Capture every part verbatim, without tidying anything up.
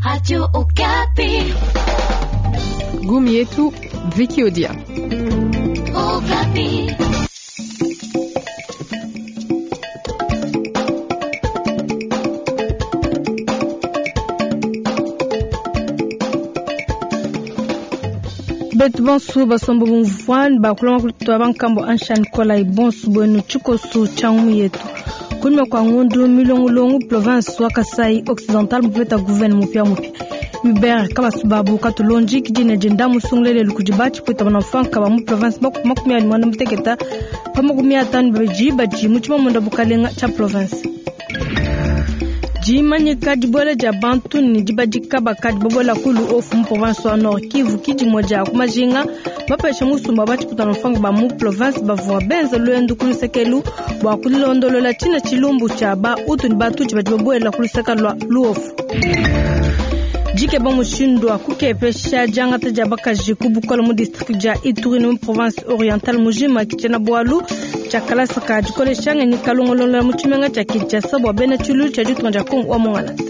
Radio Okapi. Gumi yetu Vicky Odia. Okapi. Betu bonsu basombo bumvuani bakulonga kulutwa bankambo anshan kola ibonsu bwenu chikosu changu yetu kunyuma kwa ngundu milongolongo province wa Kasai Occidental mupeta gouverne mupya mupya Hubert Kabasubabu katulonji kijine jenda musungulele lukujiba chipwita banafanka ba mu province makumi abili mwanda muteketa pa makumi atano babidi badi mu tshimamunda bukalenga tsha province jimanyika dibuela dia bantu ne dibadika bakadi babuela kulu ofu mu province wa Nord Kivu kidimue dia ku majinga bapesha musumba batshiputana mfanga ba mu province bavua benza lwendu ku lusekelu bua kulondolola tshina tshilumbu tshia ba utu ne batutshi badi babuela ku luseka lua luofu. Dikeba mushindu wa kukepesha diangata dia bakaji ku bukole mu district dia Ituri ne mu province orientale mujima kitshena bualu tshia kalasa ka dikolesha ngenyi kalongolola mu tshimenga tshia Kinshasa bua bena tshilu tshia ditunga dia Kongo wa Mongalata.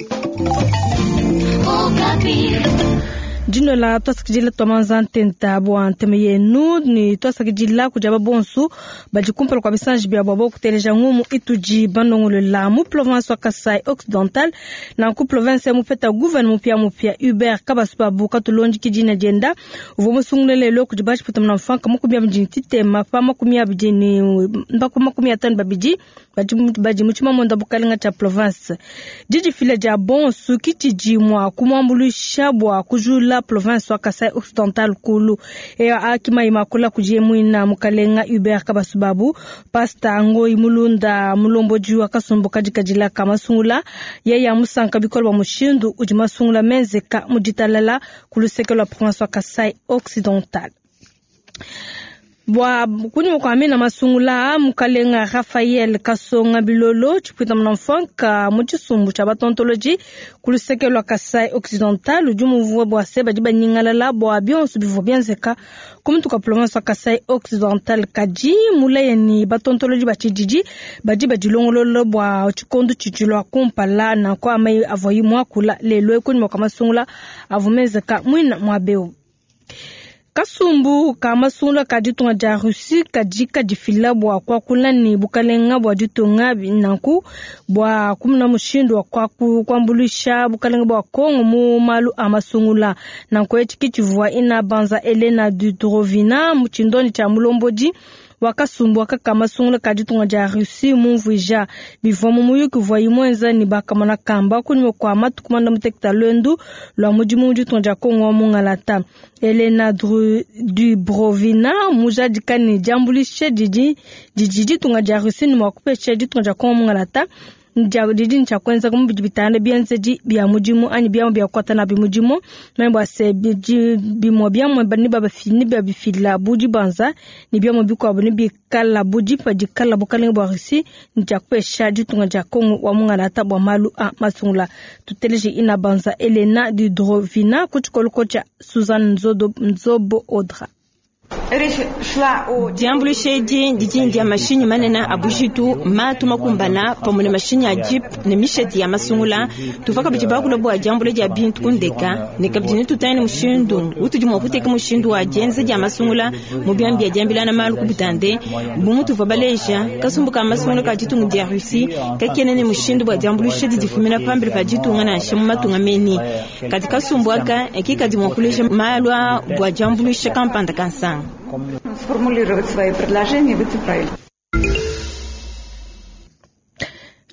Dinola twasakidila twamanza ntenta bua nteme yenu ni twasakidila kudia babonsu badi kumpala kua bisanji bia bua kuteleja ngumu itudi banongolola mu province wa Kasai Occidental nanku province ya mupeta gouverne mupya mupya Hubert Kabasubabu katulonji kidina dienda uvua musungulele lelo kudi batshiputa muna mfanka makumi abidi ni titema pa makumi abidi ni mpaka makumi atano babidi badi mu tshimamonda bukalenga tshia province didifila dia bonsu kitshidi mua kumuambuluisha bua kujula province wa Kasai Occidental kulu eyo akima imakula kudi mwina mukalenga Hubert Kabasubabu pasta Ngoi Mulunda mulombodi wa kasumbu kadikadila ka masungula yeye amusanka bikolo bua mushindu udi masungula menzeka mu ditalala ku luseke lua province wa Kasai Occidental. Bua kunyuma kua mina masungula mukalenga Raphaël Kasonga Bilolo tshipwita muna mfanka mu tshisumbu tshia batontoloji ku luseke lua Kasai Occidental udi muvua bua se badi banyingalala bua bionso bivua bienzeka ku mutu kua province wa Kasai Occidental kadi mulaya ni batontoloji ba tshididi badi badilongolola bua tshikondo tshidi lua kumpala nanku amayi avua muakula lelo kunyuma kua masungula avua menzeka muina mua beu. Kasumbu ka masungula ka ditunga dia Russie kadi kadifila bua kuakula ne bukalenga bua ditunga nanku bua kumuna mushindu wa kuambuluisha bukalenga bua Kongo mu malu a masungula nanku etshi kitshivua ina banza Elena Dudrovina mu tshindoni tshia mulombodi wa kasumbu aka masungula ka ditunga dia Russie mumvuija bivua mu muyuki uvua imuenza ne bakamona kamba kunyuma kua matuku mwanda muteketa lwendu lua mudimu mu ditunga dia Kongo wa Mungalata. Elena Dubrovina mujadika ne diambuluisha didi didi ditunga dia Russie ne mua kupesha ditunga dia Kongo Mungalata didi ni tshiakuenza mu bidi bitanda bienzedi bia mudimu anyi biamu bia kukwata nabi mudimu meme bua se bimue biamu ne babifila bu dibanza ne biamu bikuabu ne bikala bu dipa dikala bukalenga bua Russie ne tshiakupesha ditunga dia Kongo wa Mungalata bua malu a masungula. Tuteleje ina banza Elena Dudrovina ku tshikoloko tshia Suzanne Nzobo Odra. Diambuluisha edi didi dia mashinyi manene a bujitu matu makumbana pamue ne mashinyi a jeep ne misheti ya masungula tuva kabidi bakula bua diambula dia bintu kundeka ne kabidi netutangile mushindu utudi mua kuteka mushindu wa dienza dia masungula mu biambi bia diambilana malu ku butande bu mutuva baleja kasumbu ka masungula ka ditunga dia Russie kakene ne mushindu bua diambuluisha didifumina pambele pa ditunga nansha mu matunga meni kadi kasumbu aka kikadi mua kuleja malu a bua diambuluisha kampanda kansanga. Сформулировать свои предложения в эти проекты.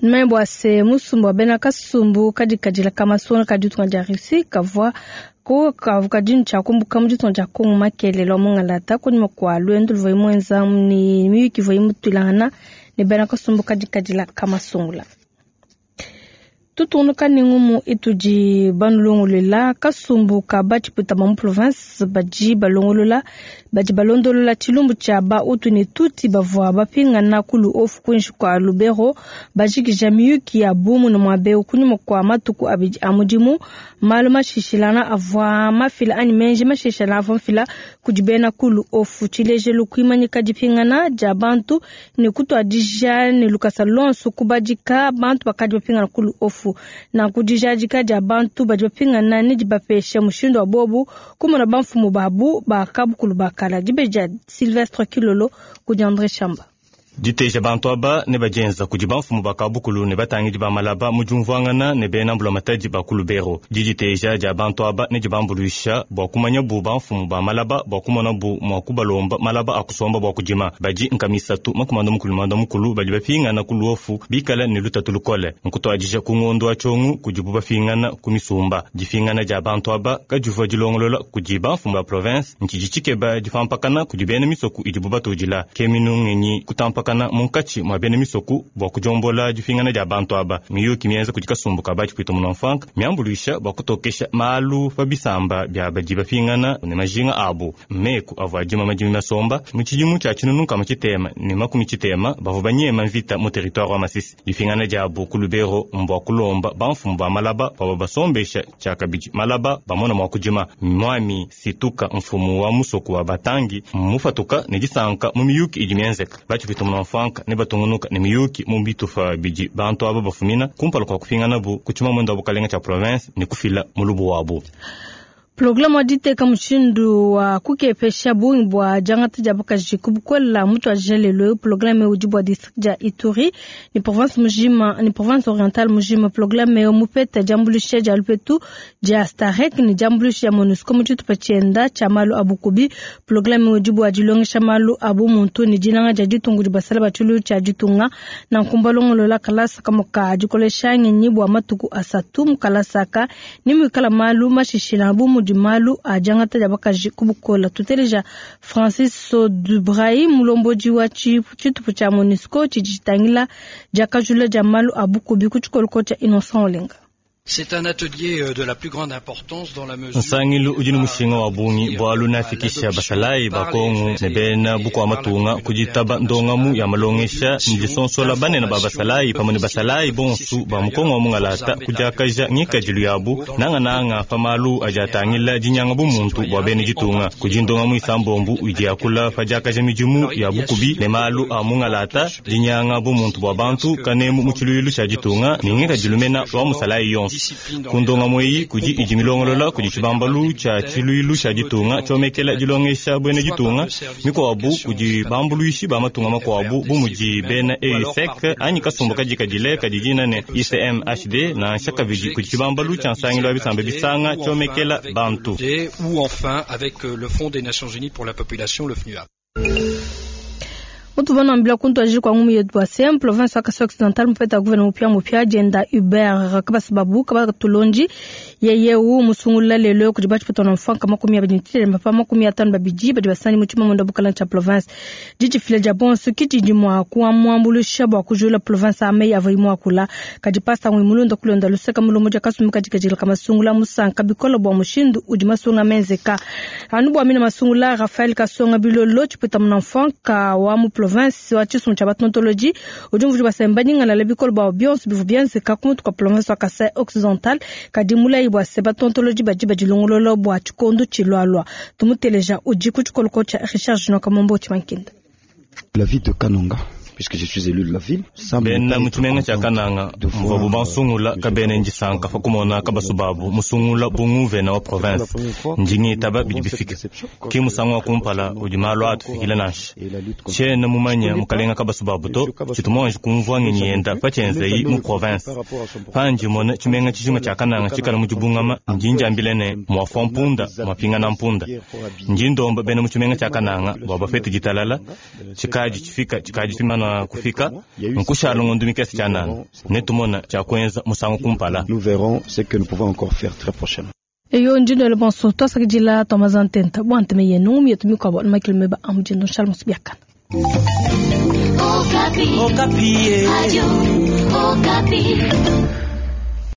Numanye bua se musumbu wa bena kasumbu kadikadila ka masungula ka ditunga dia Russie kavua ko kavuka dinu tshia kumbuka mu ditunga dia Kongo makelelo Mungalata kunyuma kua lwendu luvua imuenza ne miyuki ivua imutuilangana ne bena kasumbu kadikadila ka masungula. Tutunuka ne ngumu itudi banulongolola kasumbu ka batshipwita ba mu province badi balongolola badi balondolola tshilumbu tshia ba utu ne tuti bavua bapingana kulu ofu kuinshi kua Lubero bajikija miyuki ya bumu ne muabeu kunyuma kua matuku abidi a mudimu malu mashishilana avua mafila anyi menji mashishilana avua mfila kudi bena kulu ofu tshilejelu kuimanyika dipingana dia bantu ne kutuadija ne lukasa lonso kubadika bantu bakadi bapingana kulu ofu. Luofu. Nanku dijadika dia bantu badi bapingana ne dibapesha mushindu wa bobu kumona bamfumu babu ba kabukulu bakala. Dibeji dia Sylvestre Kilolo kudi André Chamba. Diteja bantu aba ne bajenza kudi bamfumu ba kabukulu ne batangidi ba malaba mu diumvuangana ne bena mbulamatadi ba ku Lubero. Diditeja dia bantu aba ne dibambuluisha bua kumanya bu bamfumu ba malaba bua kumona bu mua kubalomba malaba a kusomba bua kudima. Badi nkamisatu makumanda mukulu manda mukulu badi bapingana ku Luofu bikala ne lutatu lukole. Nkutuadija ku ngondo wa tshiongu kudibu bapingana ku misumba. Dipingana dia bantu aba kadivua dilongolola kudi bamfumu ba province ntshidi tshikeba dipampakana kudi bena misoku idibu batudila. Ke minungenyi kutampakana munkatshi mwa bena misoku bua kujombola dipingana dia bantu aba. Miyuki mienza kudi kasumbu ka batshipwita munamfanka miambuluisha bua kutokesha malu pa bisamba bia badi bapingana ne majinga abu. Meku avua adima madimi masomba mu tshidimu tshia tshinunu nkama tshitema ne makumi tshitema bavua banyema mvita mu territoire wa Masisi. Dipingana diabu ku Lubero mbua kulomba bamfumu ba malaba bavua basombesha tshiakabidi malaba bamona mua kudima. Mwami Situka mfumu wa musoku wa Batangi mufatuka ne disanka mu miyuki idi mienzeka. Batshipwita munamfanka ne batungunuka ne miyuki mu bitufa bidi bantu aba bafumina kumpala kwa kupingana bu kuchima mwendo wa bukalenga cha province ne kufila mulubu wabu. Programu wa diteka mushindu wa kukepesha bungi bua diangata dia bakaji ku bukola mutu wa lelo. Programu udi bua district dia Ituri ni province mujima ni province orientale mujima. Programu mupeta diambuluisha dia lupetu dia Starek ni diambuluisha dia MONUSCO mu tshitupa tshienda tshia malu a bukubi. Programu udi bua dilongesha malu a bumuntu ni dinanga dia ditungu dibasala batshulu tshia ditunga na nkumbalongolola kalasa kamoka dikolesha ngenyi bua matuku asatu mu kalasaka ni muikala malu mashishila bu mudi malu a diangata dia bakaji ku bukola. Tuteleja Francis Dubrahi mulombodi wa tshitupu tshia MONUSCO tshidi tshitangila diakajula dia malu a bukubi ku tshikoloko tshia Innocent Olenga. C'est un atelier de la plus grande importance dans la mesure Nsangilu udi ne mushinga wa bungi bualu nafikisha basalayi ba Kongo ne bena bukua matunga kuditaba ndongamu ya malongesha ne disonsola banene ba basalayi pamwe ne basalayi bonsu ba mukongo wa mungalata kudiakaja ngikadilu yabu nangananga pa malu adi atangila dinyanga bumuntu bua bena ditunga. Kudi ndongamu isambombu idi yakula pa diakaja midimu ya bukubi ne malu a mungalata dinyanga bumuntu bua bantu kanemu mu tshiluilu tshia ditunga ne ngikadilu mena wa musalayi yonso. Kundonga mweyi kudi idi milongolola kudi tshibambalu tshia tshiluilu tshia ditunga tshiomekela dilongesha bwene ditunga mikuabu kudi bambuluishi ba matunga makuabu bu mudi bena E U S E C anyi kasumbu kadikadile kadidina ne I C M H D na nshakabidi kudi tshibambalu tshia nsangilu wa bisamba bisanga tshiomekela bantu. Ou enfin avec le Fonds des Nations Unies pour la population, le F N U A. Utuvana mbila kuntu ajiri kwa ngumu yetu wa sem province wa Kasai Occidental mupeta guverneur mupya mupya jenda Hubert Kabasababu Kabatulonji yeye u musungula lelo kudi bachipata na mfanka makumi abidi ntile mapa makumi atano babidi badi basani muchima mwendo bukala cha province jiji file ja bonso kiti mwa kuwa mwambulusha bwa kujula province ame yavo imwa kula kadi pasta ngwi kulonda luseka mulomo ja kasumi katika jila kama sungula musanka bikola bwa mushindu udi masunga menzeka anu bwa mina masungula Raphaël Kasonga bilolo chipata mna mfanka wa mu province wa tshisumbu tshia batontoloji udi mvudi basemba nyingana le bikolo bwa bionso bivu bienzeka kumutu kwa province wa Kasai Occidental kadi mulayi bwa se batontoloji badi badilongolola bwa tshikondo tshilwalwa tumuteleja udi ku tshikoloko tshia Richard Junior Kamombo Tshimankinda. La ville de Kananga, puisque je suis élu de la ville, bena mutshimenga tshia Kananga mvabu bansungula kabene ndisanka fa kumona kabasubabu musungula bunguvena wa province ndingitaba bidi bifika ki musangu wa kumpala udi malu atufikile nansha tshiena mumanya mukalenga kabasubabu to tshitu kumvua ngenyi yenda patshienzeyi mu province panji mona tshimenga tshijima tshia Kananga tshikala mu dibungama ndi ndiambile ne muafua mpunda muapingana mpunda ndi ndomba bena mutshimenga tshia Kananga bua bafete ditalala tshikadi tshifika tshikadi tshimana kufika nkushala ngondo mikese tshia nana netumona tshia kuenza musangu kumpala. Nous verrons ce que nous pouvons encore faire très prochainement. Eyo njindo le bonso twasakidila twamazantenta bwanteme yenu mietu mikwabo makilumeba amujindo nshala musibiakana. Okapi. Okapi. Radio Okapi.